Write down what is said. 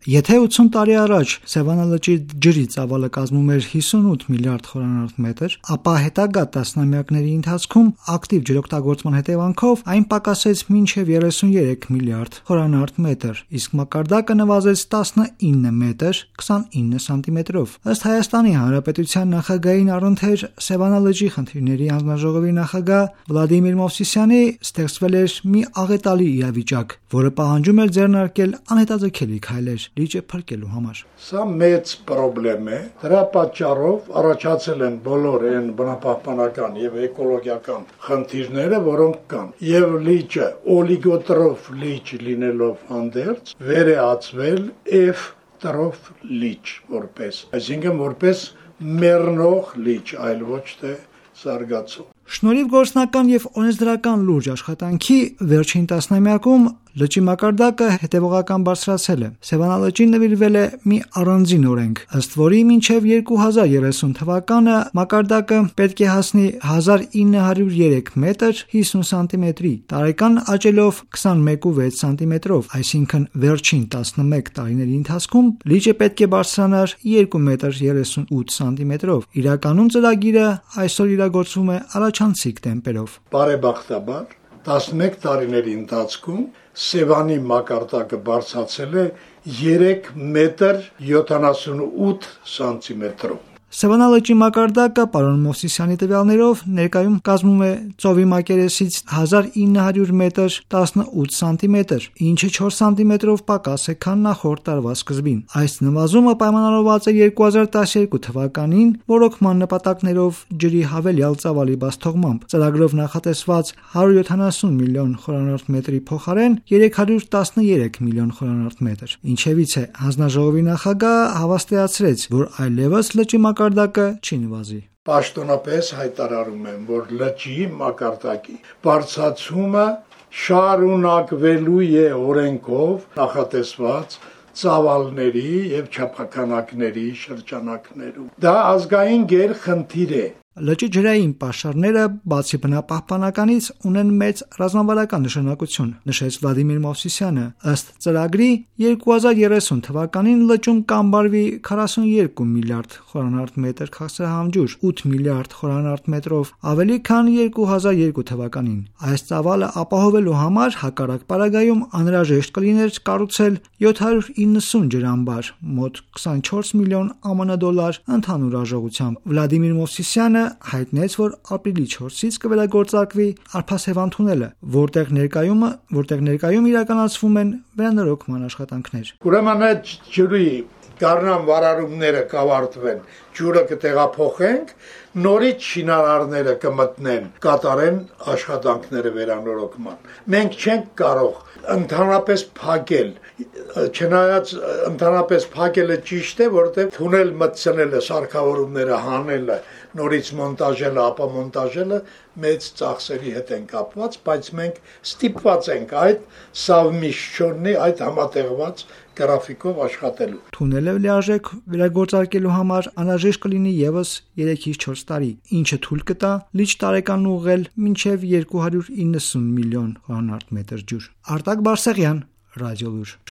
Եթե 80 տարի առաջ Սևանա լճի ջրի ծավալը կազմում էր 58 միլիարդ խորանարդ մետր, ապա հետագա տասնամյակների ընթացքում ակտիվ ջրօգտագործման հետևանքով այն պակասեց մինչև 33 միլիարդ խորանարդ մետր, իսկ մակարդակը նվազեց 19 մետր 29 սանտիմետրով։ Ըստ Հայաստանի Հանրապետության նախագահի առընթեր Սևանա լճի խնդիրների հանձնաժողովի նախագահ Վլադիմիր Մովսիսյանի ստեղծվել էր մի աղետալի իրավիճակ, որը պահանջում էր ձեռնարկել անհետաձգելի քայլեր լիճը փրկելու համար։ Սա մեծ խնդրեմ է, դրա պատճառով առաջացել են բոլոր այն բնապահպանական եւ էկոլոգիական խնդիրները, որոնք կան։ Եվ լիճը օլիգոտրոֆ լիճ լինելով հանդերձ վերածվել F տրոֆ լիճ որպես, այսինքն որպես մեռնող լիճ, այլ ոչ թե զարգացող։ Շնորհիվ գործնական եւ օրենսդրական լուրջ աշխատանքի վերջին տասնամյակում լճի մակարդակը հետևողական բարձրացել է։ Սևանա լճին նվիրվել է մի առանձին օրենք, ըստ որի մինչև 2030 թվականը մակարդակը պետք է հասնի 1903 մետր 50 սանտիմետրի, տարեկան աճելով 21.6 սանտիմետրով, այսինքն վերջին 11 տարիների ընթացքում լիճը պետք է բարձրանար 2 մետր 38 սանտիմետրով։ Իրականում ծրագիրը այսօր իրագործվում է առաջանցիկ տեմպերով։ Բարեբախտաբար 11 տարիների ընթացքում Սևանի մակարդակը բարձրացել է 3 մետր 78 սանտիմետրով։ Սևանա լճի մակարդակը պարոն Մովսիսյանի տվյալներով ներկայում կազմում է ծովի մակերեսից 1900 մետր 18 սանտիմետր, ինչը 4 սանտիմետրով պակաս է, քան նախորդ տարվա սկզբին։ Այս նվազումը պայմանավորված է 2012 թվականին ռոռոկման նպատակներով ջրի հավելյալ ծավալի բացթողմամբ, ծրագրով նախատեսված 170 միլիոն խորանարդ մետրի փոխարեն 313 միլիոն խորանարդ մետր։ Ինչևից է հանձնաժողովի նախագահը հավաստիացրեց, որ այլևս լճի մակարդակը չի նվազի։ Պաշտոնապես հայտարարում եմ, որ լճի մակարդակի բարձրացումը շարունակվելու է օրենքով նախատեսված ծավալների եւ չափականակների շրջանակներում։ Դա ազգային գերխնդիր է։ Լճի ջրային պաշարները բացի բնապահպանականից ունեն մեծ ռազմավարական նշանակություն, նշեց Վլադիմիր Մովսիսյանը։ Ըստ ծրագրի 2030 թվականին լճում կամբարվի 42 միլիարդ խորանարդ մետր քաղցրահամ ջուր, 8 միլիարդ խորանարդ մետրով ավելի, քան 2002 թվականին։ Այս ծավալը ապահովելու համար հակառակ պարագայում անհրաժեշտ կլիներ կառուցել 790 ջրամբար, մոտ 24 միլիոն ԱՄՆ դոլար ընդհանուր արժողությամբ։ Վլադիմիր Մովսիսյանը հայտնեց, որ ապրիլի 4-ից կվերագործարկվի Արփասևան թունելը, որտեղ ներկայում իրականացվում են վերանորոգման աշխատանքներ։ Ուրեմն այդ ջրի գարնան վարարումները կավարտվեն, ջուրը կտեղափոխենք, նորից շինարարները կմտնեն, կատարեն աշխատանքները վերանորոգման։ Մենք չենք կարող ընդհանրապես փակել, չնայած ընդհանրապես փակելը ճիշտ է, որովհետև թունել մտցնելը, սարքավորումները հանելը, նորից մոնտաժելը, ապա մոնտաժելը մեծ ծախսերի հետ են կապված, բայց մենք ստիպված ենք այդ սավմիշչորնի, այդ համատեղված գրաֆիկով աշխատելու։ Թունելը լիարժեք վերագործարկելու համար անհրաժեշտ կլինի եւս 3-ից 4 տարի, ինչը թույլ կտա լիճ տարեկան ուղղել մինչև 290 միլիոն խորանարդ մետր ջուր։ Արտակ Բարսեղյան, Ռադիոլուր։